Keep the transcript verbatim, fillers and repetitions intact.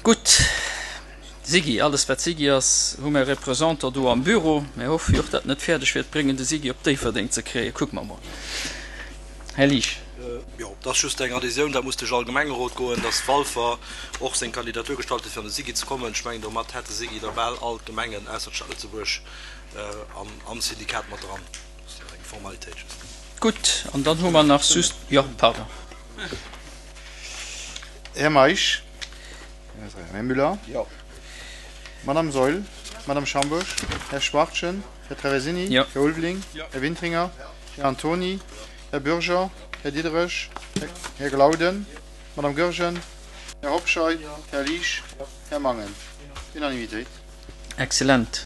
Gutt, SIGI, alles wat SIGI ass, hu mir Représentant do am Büro. Mir hoffe jo och, datt en et fäerdeg wäert bréngen, de SIGI op Déifferdeng ze kréien. Kucke mer mol. Här Liesch. Jo, dat ass just eng Adhésioun, dat muss duerch all Gemengerot goen, datt Walfer och seng Kandidatur gestallt huet, fir an de SIGI ze kommen. Ech mengen, domat hätt de SIGI da bal all d'Gemengen ausser d'Stad Lëtzebuerg am Syndikat mat dran. Dat ass eng Formalitéit just. Gutt, an dann hu mer nach just, jo, pardon. Här Meisch. Här Müller. Madame Saeul. Madame Schambourg. Här Schwachtgen. Här Traversini. Här Ulveling. Här Wintringer. Här Antony. Här Bürger. Här Diderich. Här Glauden. Madame Goergen. Här Hobscheit. Här Liesch. Här Mangen. Unanimitéit. Excellent.